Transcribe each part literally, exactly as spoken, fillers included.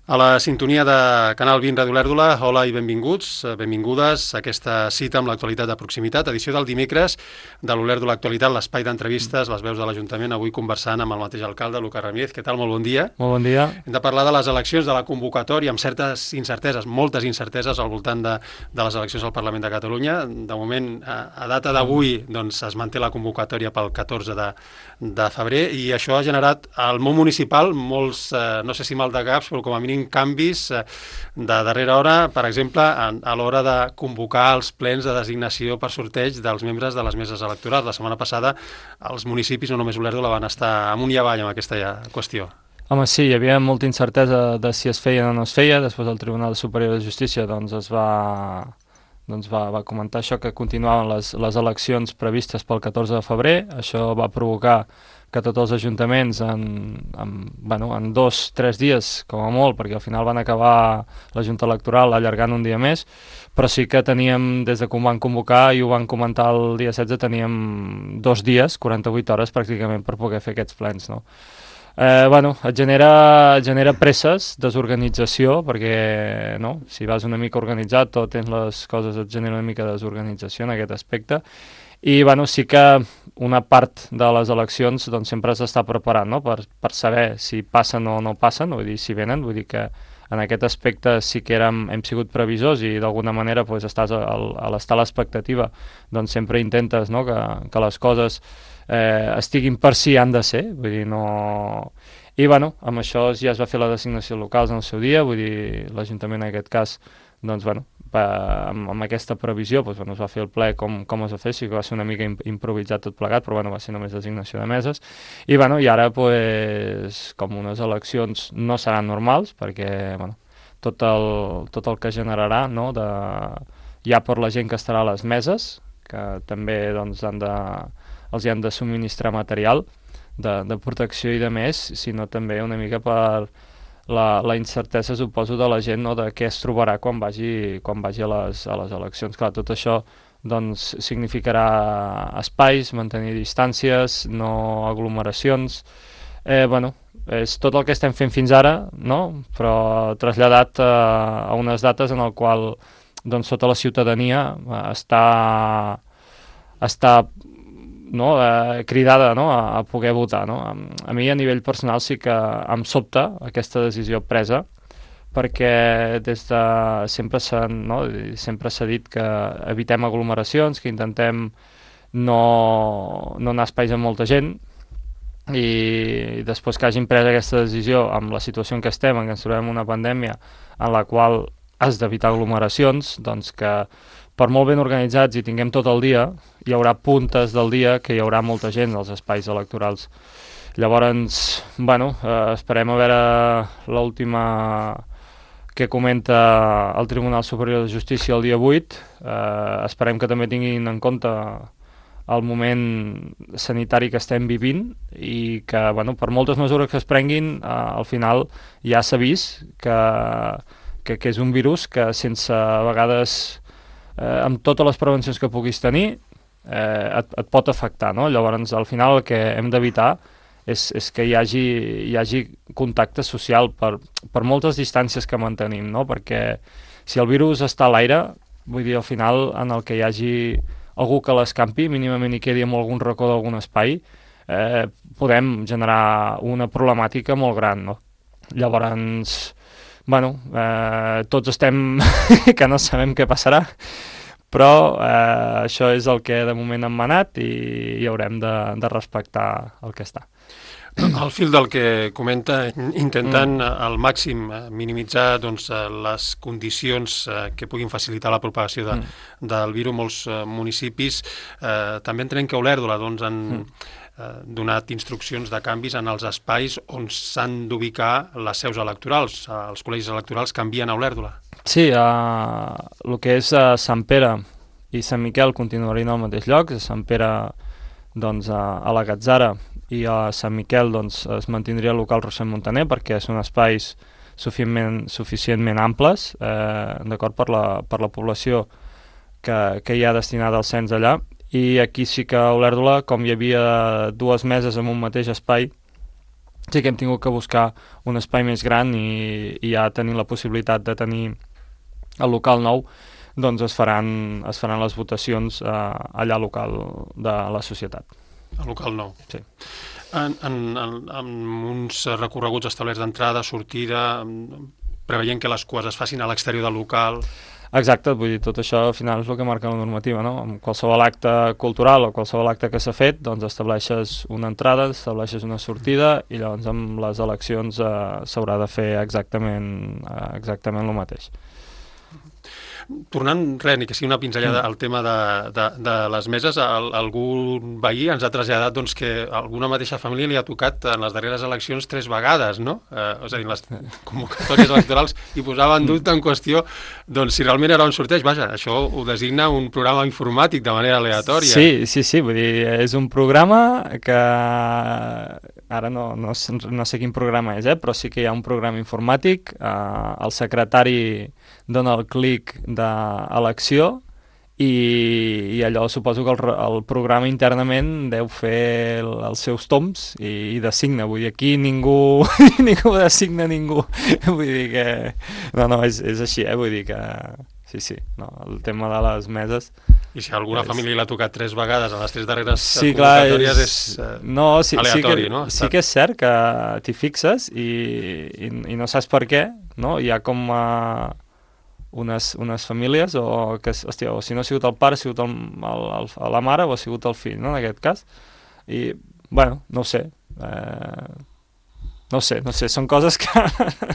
A la sintonia de Canal vint Ràdio Olèrdola, hola i benvinguts, benvingudes a aquesta cita amb l'actualitat de proximitat, edició del dimecres de l'Olèrdola Actualitat, l'espai d'entrevistes, les veus de l'Ajuntament, avui conversant amb el mateix alcalde, Lucas Ramírez. Què tal? Molt bon dia. Molt bon dia. Hem de parlar de les eleccions, de la convocatòria, amb certes incerteses, moltes incerteses al voltant de, de les eleccions al Parlament de Catalunya. De moment, a, a data d'avui, doncs, es manté la convocatòria pel catorze de, de febrer i això ha generat al món municipal molts, eh, no sé si mal de caps, però com a mínim canvis de darrera hora, per exemple, a, a l'hora de convocar els plens de designació per sorteig dels membres de les meses electorals. La setmana passada els municipis, no només Olèrdola, van estar amunt i avall amb aquesta qüestió. Home, sí, hi havia molta incertesa de si es feia o no es feia. Després el Tribunal Superior de Justícia doncs, es va, doncs, va, va comentar això, que continuaven les, les eleccions previstes pel catorze de febrer. Això va provocar que tots els ajuntaments en, en, bueno, en dos, tres dies, com a molt, perquè al final van acabar la Junta Electoral allargant un dia més, però sí que teníem, des de quan van convocar i ho van comentar el dia setze, teníem dos dies, quaranta-vuit hores pràcticament, per poder fer aquests plens, no? Eh, bueno, et genera, et genera presses, desorganització, perquè no? Si vas una mica organitzat o tens les coses, et genera una mica de desorganització en aquest aspecte. I bueno, sí que una part de les eleccions doncs, sempre s'està preparant, no? per, per saber si passen o no passen, vull dir, si venen, vull dir que en aquest aspecte sí que érem, hem sigut previsors i d'alguna manera doncs, estàs a, a l'estar a l'expectativa, doncs sempre intentes, no? que, que les coses eh, estiguin per si han de ser, vull dir, no... I bueno, amb això ja es va fer la designació locals en el seu dia, vull dir, l'Ajuntament en aquest cas, doncs bueno, amb, amb aquesta previsió doncs, bueno, es va fer el ple com, com es va fer, sí que va ser una mica improvisat tot plegat, però bueno, va ser només designació de meses, i, bueno, i ara pues, com unes eleccions no seran normals, perquè bueno, tot, el, tot el que generarà, no, de, ja per la gent que estarà a les meses, que també doncs, han de, els hi han de subministrar material de, de protecció i de més, sinó també una mica per La, la incertesa, suposo, de la gent, no? De què es trobarà quan vagi, quan vagi a, les, a les eleccions. Clar, tot això doncs, significarà espais, mantenir distàncies, no aglomeracions. Eh, bueno, és tot el que estem fent fins ara, no? Però traslladat a, a unes dates en el qual doncs, tota la ciutadania està, està no, eh, cridada, no, a, a poder votar, no? A, a mi a nivell personal sí que em sobta aquesta decisió presa, perquè des de sempre s'ha, no, sempre s'ha dit que evitem aglomeracions, que intentem no, no anar a espais amb molta gent, i després que hagin pres aquesta decisió amb la situació en què estem, en què ens trobem una pandèmia en la qual has d'evitar aglomeracions, doncs que per molt ben organitzats i tinguem tot el dia, hi haurà puntes del dia que hi haurà molta gent als espais electorals. Llavors, bueno, eh, esperem a veure l'última que comenta el Tribunal Superior de Justícia el dia vuit. Eh, esperem que també tinguin en compte el moment sanitari que estem vivint i que, bueno, per moltes mesures que es prenguin, eh, al final ja s'ha vist que, que, que és un virus que sense a vegades Eh, amb totes les prevencions que puguis tenir eh, et, et pot afectar, no? Llavors al final el que hem d'evitar és, és que hi hagi, hi hagi contacte social per, per moltes distàncies que mantenim, no? Perquè si el virus està a l'aire, vull dir, al final en el que hi hagi algú que l'escampi, mínimament hi quedi en algun racó d'algun espai, eh, podem generar una problemàtica molt gran, no? Llavors, bueno, eh, tots estem que no sabem què passarà, però eh, això és el que de moment hem manat i, i haurem de, de respectar el que està. Al fil del que comenta, intentant mm. al màxim minimitzar doncs, les condicions que puguin facilitar la propagació de, mm. del virus, molts municipis eh, també entenem que Olèrdola doncs, han mm. eh, donat instruccions de canvis en els espais on s'han d'ubicar les seus electorals. Els col·legis electorals canvien a Olèrdola. Sí, uh, el que és uh, Sant Pere i Sant Miquel continuarien al mateix lloc. A Sant Pere doncs, a, a la Gatzara i a Sant Miquel doncs, es mantindria el local Rossend Montaner perquè són espais suficientment, suficientment amples eh, d'acord per la, per la població que, que hi ha destinada al cens allà. I aquí sí que a Olèrdola, com hi havia dues meses en un mateix espai, sí que hem tingut que buscar un espai més gran i, i ja tenint la possibilitat de tenir el local nou, doncs es faran, es faran les votacions eh, allà al local de la societat. El local nou. Sí. En, en, en, en uns recorreguts establerts d'entrada, sortida, preveient que les cues es facin a l'exterior del local... Exacte, vull dir, tot això al final és el que marca la normativa, no? En qualsevol acte cultural o qualsevol acte que s'ha fet, doncs estableixes una entrada, estableixes una sortida i llavors amb les eleccions eh, s'haurà de fer exactament, eh, exactament el mateix. Tornant, res, ni que sigui una pinzellada al tema de, de, de les meses, el, algun veí ens ha traslladat doncs, que alguna mateixa família li ha tocat en les darreres eleccions tres vegades, no? Eh, és a dir, les convocatòries electorals i posava en dubte en qüestió doncs, si realment era un sorteig. Vaja, això ho designa un programa informàtic de manera aleatòria. Sí, sí, sí, vull dir, és un programa que ara no, no, no sé quin programa és, eh, però sí que hi ha un programa informàtic, eh, el secretari dona el clic d'elecció i, i allò suposo que el, el programa internament deu fer el, els seus toms i, i designa, vull dir, aquí ningú ningú designa ningú, vull dir que no, no, és, és així, eh, vull dir que sí, sí, no, el tema de les meses... I si alguna és... família l'ha tocat tres vegades en les tres darreres sí, convocatòries és, és eh, no, sí, aleatori, sí que, no? Sí que és cert que t'hi fixes i, i, i no saps per què, no? Hi ha com uh, unes, unes famílies o que, hòstia, o si no ha sigut el pare, ha sigut el, el, el, la mare o ha sigut el fill, no? En aquest cas. I, bueno, no ho sé. Eh, no sé, no sé, són coses que...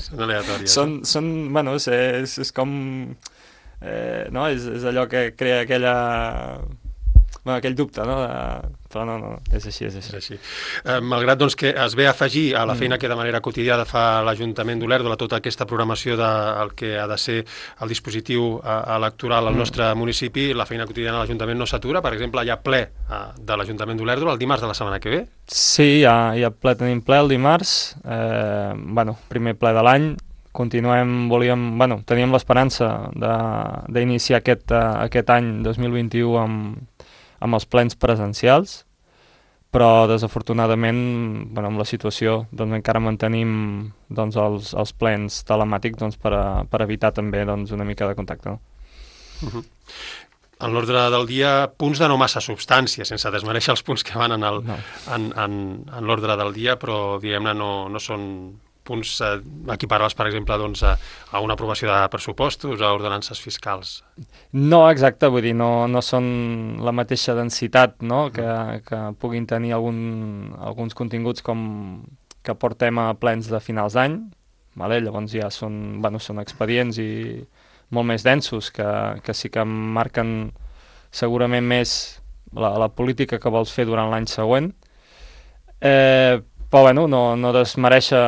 són aleatòries. són, són, bueno, és, és com... Eh, no? és, és allò que crea aquella bueno, aquell dubte, no? De... però no, no, és així, és així. És així. Eh, malgrat doncs, que es ve a afegir a la feina mm. que de manera quotidiana fa l'Ajuntament d'Olèrdola, tota aquesta programació del que ha de ser el dispositiu eh, electoral al mm. nostre municipi, la feina quotidiana de l'Ajuntament no s'atura. Per exemple, hi ha ple eh, de l'Ajuntament d'Olèrdola el dimarts de la setmana que ve? Sí, hi ha, hi ha ple, tenim ple el dimarts, eh, bueno, primer ple de l'any. Continuem, volíem, bueno, teníem l'esperança d'iniciar aquest, uh, aquest any dos mil vint-i-u amb, amb els plens presencials, però desafortunadament, bueno, amb la situació, doncs encara mantenim doncs, els, els plens telemàtics doncs, per, a, per evitar també doncs, una mica de contacte. No? Uh-huh. En l'ordre del dia, punts de no massa substància, sense desmereixer els punts que van en, el, no. en, en, en l'ordre del dia, però diguem-ne no, no són punts eh, equiparables, per exemple, doncs, a, a una aprovació de pressupostos, a ordenances fiscals. No, exacte, vull dir, no, no són la mateixa densitat, no?, que, que puguin tenir algun, alguns continguts com que portem a plens de finals d'any, vale? Llavors ja són, bueno, són expedients i molt més densos, que, que sí que marquen segurament més la, la política que vols fer durant l'any següent. Eh, Però bueno, no, no desmereixer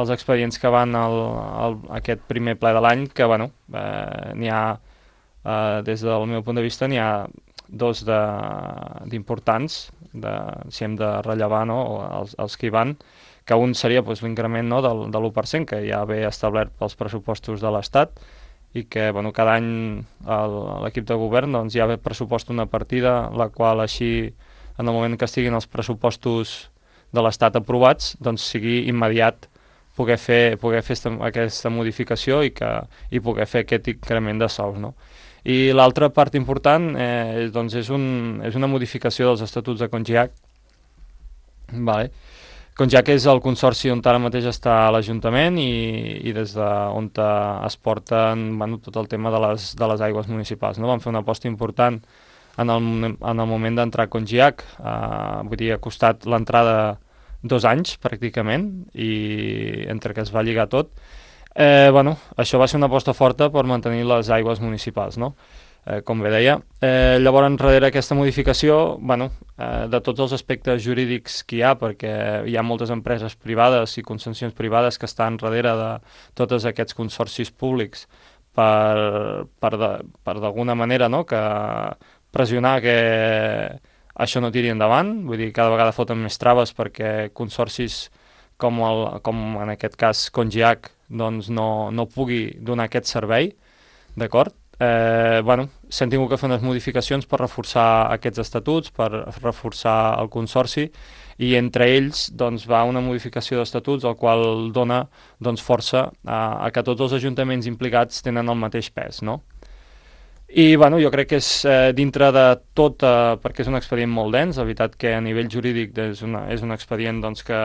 els expedients que van al, al, aquest primer ple de l'any, que bueno, eh, n'hi ha, eh, des del meu punt de vista, n'hi ha dos d'importants, de, si hem de rellevar, no?, els, els que hi van, que un seria pues, l'increment, no?, del, de l'u per cent, que ja ve establert pels pressupostos de l'Estat, i que bueno, cada any l'equip de govern doncs, ja ve pressupost una partida, la qual així, en el moment que estiguin els pressupostos de l'Estat aprovats, doncs sigui immediat poder fer, poder fer esta, aquesta modificació i, que, i poder fer aquest increment de sous, no? I l'altra part important eh, doncs és, un, és una modificació dels estatuts de Congiac. Vale. Congiac és el consorci on ara mateix està l'Ajuntament i, i des d'on es porten bueno, tot el tema de les, de les aigües municipals. No? Vam fer una aposta important en el, en el moment d'entrar a Congiac, eh, vull dir, ha costat l'entrada dos anys, pràcticament, i entre que es va lligar tot. Eh, bueno, això va ser una aposta forta per mantenir les aigües municipals, no? Eh, com bé deia. Eh, llavors, darrere aquesta modificació, bueno, eh, de tots els aspectes jurídics que hi ha, perquè hi ha moltes empreses privades i concessions privades que estan darrere de tots aquests consorcis públics per, per, de, per d'alguna manera, no?, que pressionar que això no tiri endavant, vull dir, cada vegada foten més traves perquè consorcis com, el, com en aquest cas Congiac doncs no, no pugui donar aquest servei, d'acord? Eh, bueno, s'han tingut que fer unes modificacions per reforçar aquests estatuts, per reforçar el consorci i entre ells doncs, va una modificació d'estatuts el qual dona doncs, força a, a que tots els ajuntaments implicats tenen el mateix pes, no? I bueno, jo crec que és eh, dintre de tot, eh, perquè és un expedient molt dens, la veritat que a nivell jurídic és, una, és un expedient doncs, que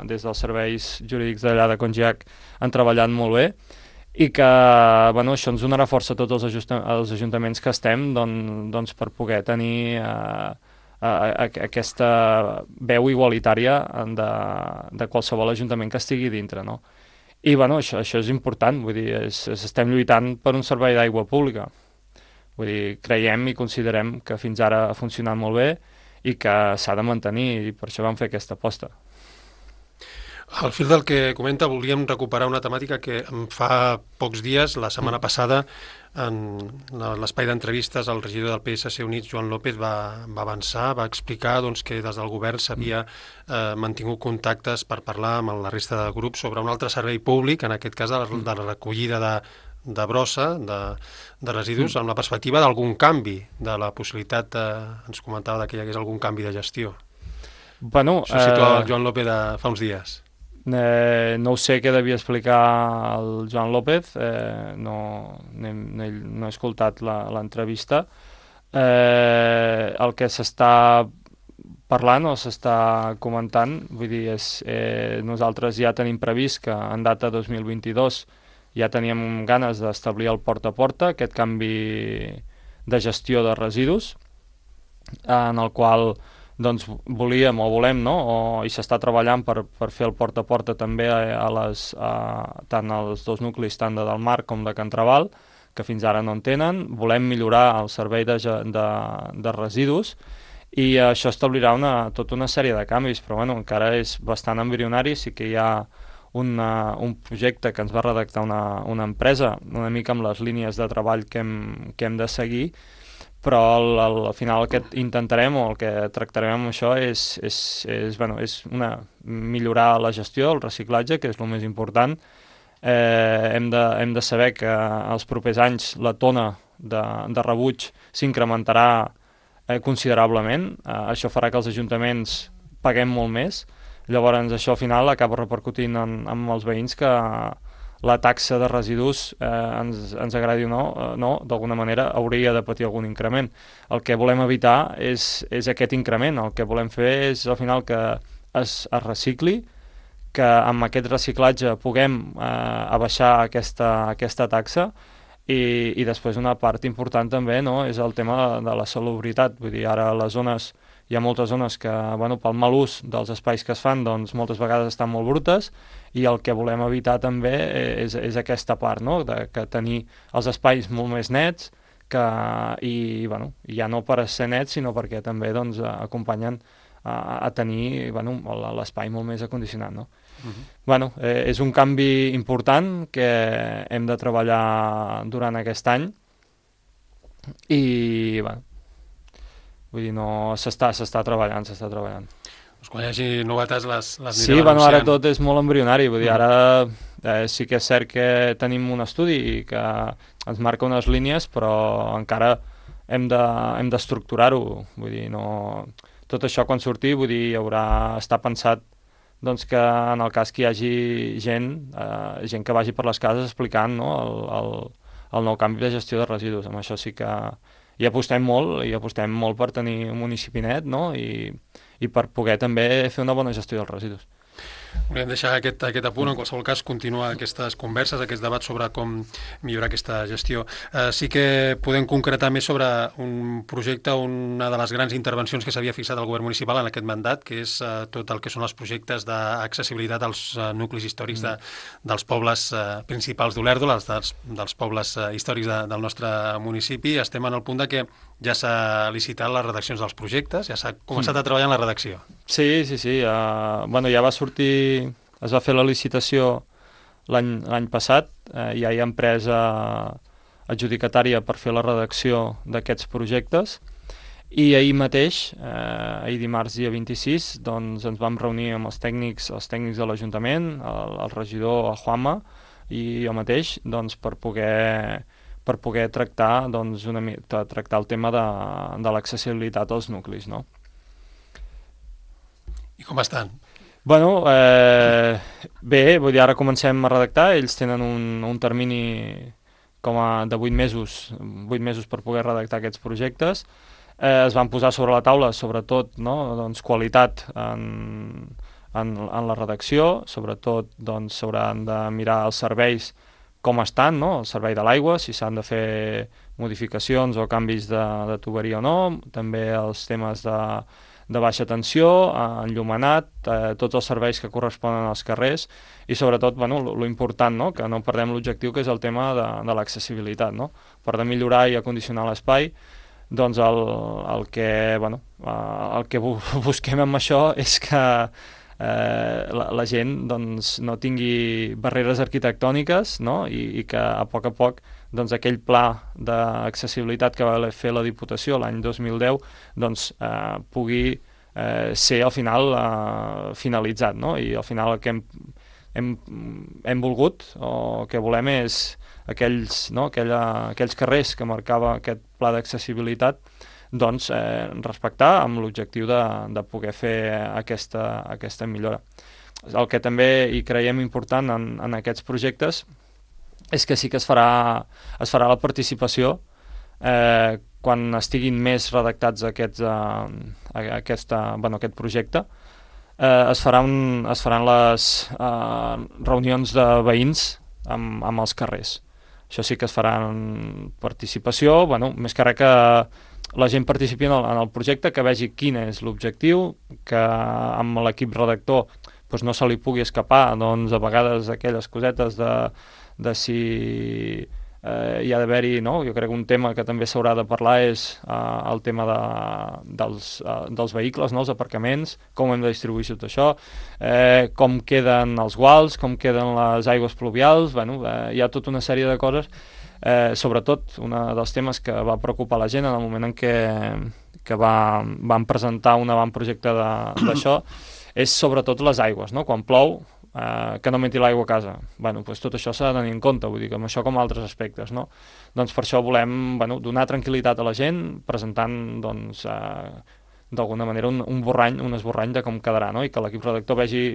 des dels serveis jurídics d'allà de Congiac han treballat molt bé i que bueno, això ens donarà força a tots els, ajusta, els ajuntaments que estem doncs, doncs per poder tenir eh, a, a, aquesta veu igualitària de, de qualsevol ajuntament que estigui dintre, no? I bueno, això, això és important, vull dir, és, és, estem lluitant per un servei d'aigua pública. Vull dir, creiem i considerem que fins ara ha funcionat molt bé i que s'ha de mantenir i per això vam fer aquesta aposta. Al fil del que comenta, volíem recuperar una temàtica que fa pocs dies, la setmana mm. passada, en l'espai d'entrevistes, el regidor del P S C Units, Joan López, va, va avançar, va explicar doncs, que des del govern s'havia eh, mantingut contactes per parlar amb la resta de grups sobre un altre servei públic, en aquest cas de la, de la recollida de de brossa, de, de residus, amb la perspectiva d'algun canvi, de la possibilitat, eh, ens comentava que hi hagués algun canvi de gestió. Bueno, Això ho situava eh, el Joan López de fa uns dies. Eh, no ho sé què devia explicar el Joan López, eh, no, no, he, no he escoltat l'entrevista. Eh, el que s'està parlant o s'està comentant, vull dir, és, eh, nosaltres ja tenim previst que en data dos mil vint-i-dos ja teníem ganes d'establir el porta a porta, aquest canvi de gestió de residus, en el qual doncs, volíem o volem, no? o, i s'està treballant per, per fer el porta a porta també a, a les, a, tant als dos nuclis, tant de Del Mar com de Can Traval, que fins ara no en tenen. Volem millorar el servei de, de, de residus i això establirà una, tota una sèrie de canvis, però bueno, encara és bastant embrionari, sí que hi ha Una, un projecte que ens va redactar una, una empresa, una mica amb les línies de treball que hem, que hem de seguir, però al, al final el que intentarem o el que tractarem amb això és, és, és, bueno, és una, millorar la gestió, el reciclatge, que és el més important. Eh, hem, de, hem de saber que els propers anys la tona de, de rebuig s'incrementarà eh, considerablement. Eh, això farà que els ajuntaments paguem molt més. Llavors això al final acaba repercutint en, en els veïns que la taxa de residus, eh, ens, ens agradi o no, eh, no d'alguna manera hauria de patir algun increment. El que volem evitar és, és aquest increment, el que volem fer és al final que es, es recicli, que amb aquest reciclatge puguem eh, abaixar aquesta, aquesta taxa i, i després una part important també no, és el tema de la salubritat, vull dir, ara les zones hi ha moltes zones que, bueno, pel mal ús dels espais que es fan, doncs moltes vegades estan molt brutes i el que volem evitar també és, és aquesta part, no?, de que tenir els espais molt més nets que, i, bueno, ja no per ser nets, sinó perquè també doncs, acompanyen a, a tenir bueno, l'espai molt més acondicionat, no? Uh-huh. Bueno, eh, és un canvi important que hem de treballar durant aquest any i, bueno, vull dir, no, s'està s'està treballant, s'està treballant. Doncs quan hi hagi novetats les, les sí, bueno, ara tot és molt embrionari, vull dir, ara eh, sí que és cert que tenim un estudi i que ens marca unes línies, però encara hem de, hem d'estructurar-ho, vull dir, no... Tot això quan surti, vull dir, hi haurà... està pensat doncs, que en el cas que hi hagi gent, eh, gent que vagi per les cases explicant no, el, el, el nou canvi de gestió de residus, amb això sí que... i apostem molt, i apostem molt per tenir un municipi net, no? I, i per poder també fer una bona gestió dels residus. Volem deixar aquest, aquest apunt, en qualsevol cas continuar aquestes converses, aquests debats sobre com millorar aquesta gestió. Eh, sí que podem concretar més sobre un projecte, una de les grans intervencions que s'havia fixat el govern municipal en aquest mandat, que és eh, tot el que són els projectes d'accessibilitat als eh, nuclis històrics de, dels pobles eh, principals d'Olèrdola, dels, dels pobles eh, històrics de, del nostre municipi. Estem en el punt de que ja s'ha licitat les redaccions dels projectes, ja s'ha començat a treballar en la redacció. Sí, sí, sí. Uh, bueno, ja va sortir, es va fer la licitació l'any passat, uh, ja hi ha empresa adjudicatària per fer la redacció d'aquests projectes i ahir mateix, uh, ahir dimarts dia vint-i-sis, doncs ens vam reunir amb els tècnics, els tècnics de l'Ajuntament, el, el regidor Juanma i jo mateix, doncs per poder per poder tractar, doncs, una, tractar el tema de, de l'accessibilitat als nuclis, no? I com estan? Bueno, eh, bé, vull dir, ara comencem a redactar, ells tenen un, un termini com a de vuit mesos, vuit mesos per poder redactar aquests projectes. Eh, es van posar sobre la taula, sobretot, no, doncs, qualitat en, en, en la redacció, sobretot doncs, s'hauran de mirar els serveis com estan, no? El servei de l'aigua, si s'han de fer modificacions o canvis de, de tuberia o no, també els temes de, de baixa tensió, enllumenat, eh, tots els serveis que corresponen als carrers i sobretot, bueno, lo important, no? Que no perdem l'objectiu, que és el tema de, de l'accessibilitat, no? Per de millorar i acondicionar l'espai, doncs el, el que, bueno, el que busquem amb això és que eh, la, la gent doncs, no tingui barreres arquitectòniques, no? I, i que a poc a poc doncs, aquell pla d'accessibilitat que va fer la Diputació l'any dos mil deu doncs, eh, pugui eh, ser al final eh, finalitzat, no? I al final el que hem, hem, hem volgut o que volem és aquells, no? Aquella, aquells carrers que marcava aquest pla d'accessibilitat doncs, eh, respectar amb l'objectiu de, de poder fer aquesta, aquesta millora. El que també hi creiem important en, en aquests projectes és que sí que es farà, es farà la participació eh, quan estiguin més redactats aquests, eh, aquesta, bueno, aquest projecte. Eh, es, faran, es faran les eh, reunions de veïns amb, amb els carrers. Això sí que es farà en participació, bueno, més que res que la gent participi en el, en el projecte, que vegi quin és l'objectiu, que amb l'equip redactor doncs no se li pugui escapar doncs, a vegades aquelles cosetes de, de si eh, hi ha d'haver-hi, no? Jo crec que un tema que també s'haurà de parlar és eh, el tema de, dels, eh, dels vehicles, no? Els aparcaments, com hem de distribuir tot això, eh, com queden els guals, com queden les aigües pluvials, bueno, eh, hi ha tota una sèrie de coses. Eh, sobretot, un dels temes que va preocupar la gent en el moment en què, que va, van presentar un avantprojecte d'això és sobretot les aigües, no? Quan plou, eh, que no meti l'aigua a casa. Bueno, doncs tot això s'ha de tenir en compte, vull dir que amb això com altres aspectes, no? Doncs per això volem, bueno, donar tranquil·litat a la gent presentant, doncs, eh, d'alguna manera un, un borrany, un esborrany de com quedarà, no? I que l'equip redactor vegi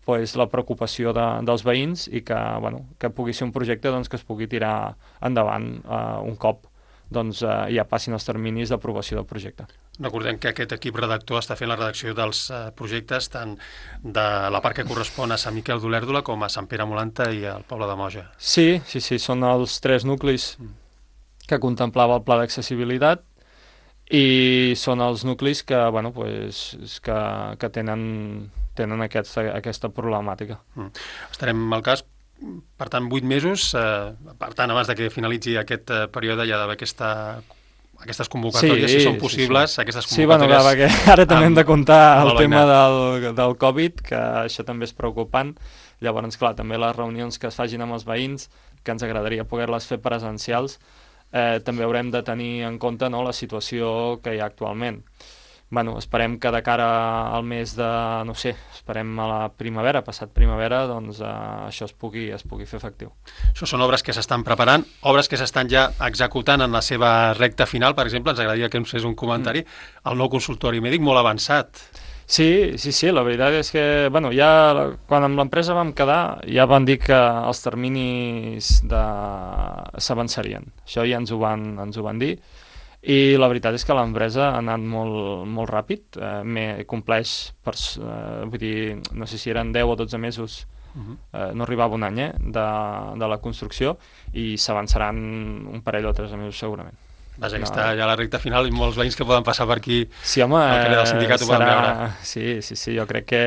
pues, la preocupació de, dels veïns i que, bueno, que pugui ser un projecte doncs, que es pugui tirar endavant eh, un cop doncs, eh, ja passin els terminis d'aprovació del projecte. Recordem que aquest equip redactor està fent la redacció dels eh, projectes tant de la part que correspon a Sant Miquel d'Olèrdola com a Sant Pere Molanta i al poble de Moja. Sí, sí, sí, són els tres nuclis que contemplava el pla d'accessibilitat i són els nuclis que, bueno, pues, que, que tenen tenen aquesta, aquesta problemàtica. Mm. Estarem al cas, per tant, vuit mesos, eh, per tant, abans de que finalitzi aquest eh, període hi ha d'haver aquesta, aquestes convocatòries, sí, si són possibles, sí, sí. aquestes convocatòries... Sí, bueno, clar, ara també hem de comptar el tema del, del Covid, que això també és preocupant. Llavors, clar, també les reunions que es facin amb els veïns, que ens agradaria poder-les fer presencials, eh, també haurem de tenir en compte, no, la situació que hi ha actualment. Bueno, esperem que de cara al mes de, no sé, esperem a la primavera, passat primavera, doncs eh, això es pugui, es pugui fer efectiu. Això són obres que s'estan preparant, obres que s'estan ja executant en la seva recta final, per exemple, ens agradaria que ens fes un comentari, mm. el nou consultori mèdic molt avançat. Sí, sí, sí, la veritat és que, bueno, ja quan amb l'empresa vam quedar, ja van dir que els terminis de... s'avançarien. Això ja ens ho van, ens ho van dir. I la veritat és que l'empresa ha anat molt, molt ràpid, eh, compleix, per, eh, vull dir, no sé si eren deu o dotze mesos, uh-huh. eh, no arribava un any eh, de, de la construcció i s'avançaran un parell o tres mesos segurament. Vaja, que no. Està ja a la recta final i molts veïns que poden passar per aquí sí, home, al carrer del sindicat ho serà... poden veure. Sí, sí, sí, jo crec que...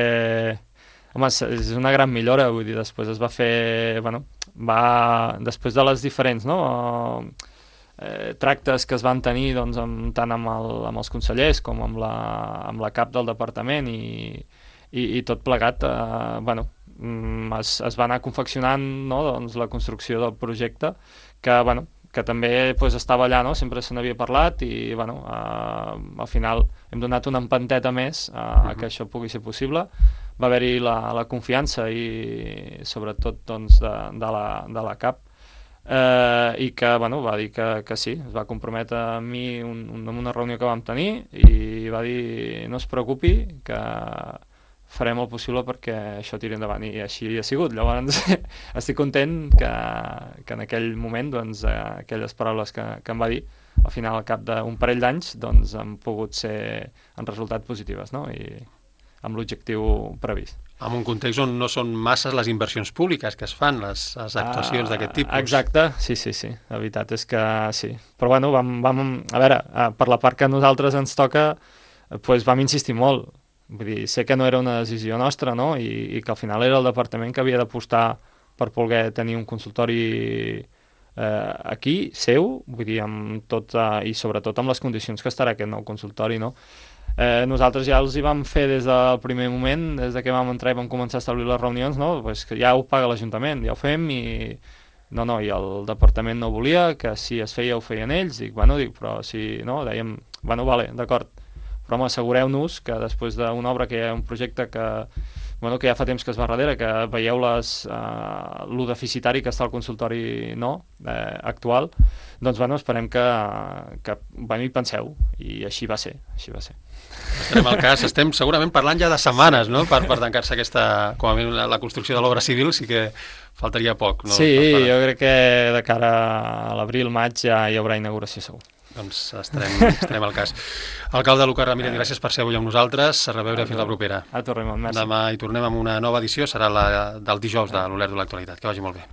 Home, és una gran millora, vull dir, després es va fer... Bueno, va... Després de les diferents, no?, Eh, tractes que es van tenir doncs, amb, tant amb, el, amb els consellers com amb la, amb la cap del departament i, i, i tot plegat eh, bueno, es, es va anar confeccionant, no, doncs, la construcció del projecte que, bueno, que també pues, estava allà, no? Sempre se n'havia parlat i bueno, eh, al final hem donat una empanteta més a, a que això pugui ser possible. Va haver-hi la, la confiança i sobretot doncs, de, de, la, de la cap Eh, i que bueno, va dir que, que sí, es va comprometre amb mi un, un, en una reunió que vam tenir i va dir no es preocupi que, farem el possible perquè això tiri endavant, i així ha sigut. Llavors estic content que, que en aquell moment doncs, aquelles paraules que, que em va dir al final, al cap d'un parell d'anys, doncs han pogut ser en resultat positives, no? I amb l'objectiu previst. En un context on no són masses les inversions públiques que es fan, les, les actuacions uh, d'aquest tipus. Exacte, sí, sí, sí. La veritat és que sí. Però bueno, vam, vam, a veure, per la part que a nosaltres ens toca, doncs vam insistir molt. Vull dir, sé que no era una decisió nostra, no? I, i que al final era el departament que havia d'apostar per poder tenir un consultori eh, aquí, seu, vull dir, amb tot, eh, i sobretot amb les condicions que estarà aquest nou consultori, no? Eh, nosaltres ja els hi vam fer des del primer moment, des de que vam entrar i vam començar a establir les reunions, no? Pues que ja ho paga l'Ajuntament, ja ho fem, i no, no, i el departament no volia, que si es feia ho feien ells, dic, bueno, dic, però si no, dèiem, bueno, vale, d'acord, però home, assegureu-nos que després d'una obra, que hi ha un projecte que, bueno, que ja fa temps que es va darrere, que veieu les, uh, lo deficitari que està el consultori no, eh, actual, doncs bueno, esperem que, que bueno, hi penseu, i així va ser, així va ser. Estarem al cas, estem segurament parlant ja de setmanes, no?, per, per tancar-se aquesta, com a mínim la, la construcció de l'obra civil, sí que faltaria poc, no? Sí, per... jo crec que de cara a l'abril, maig ja hi haurà inauguració segur. Doncs estarem, estarem al cas. Alcalde Lucas Ramírez, gràcies per ser avui amb nosaltres. A reveure fins la propera. A tu, Raimon, merci. Demà hi tornem amb una nova edició, serà la del dijous de l'Olert de l'Actualitat. Que vagi molt bé.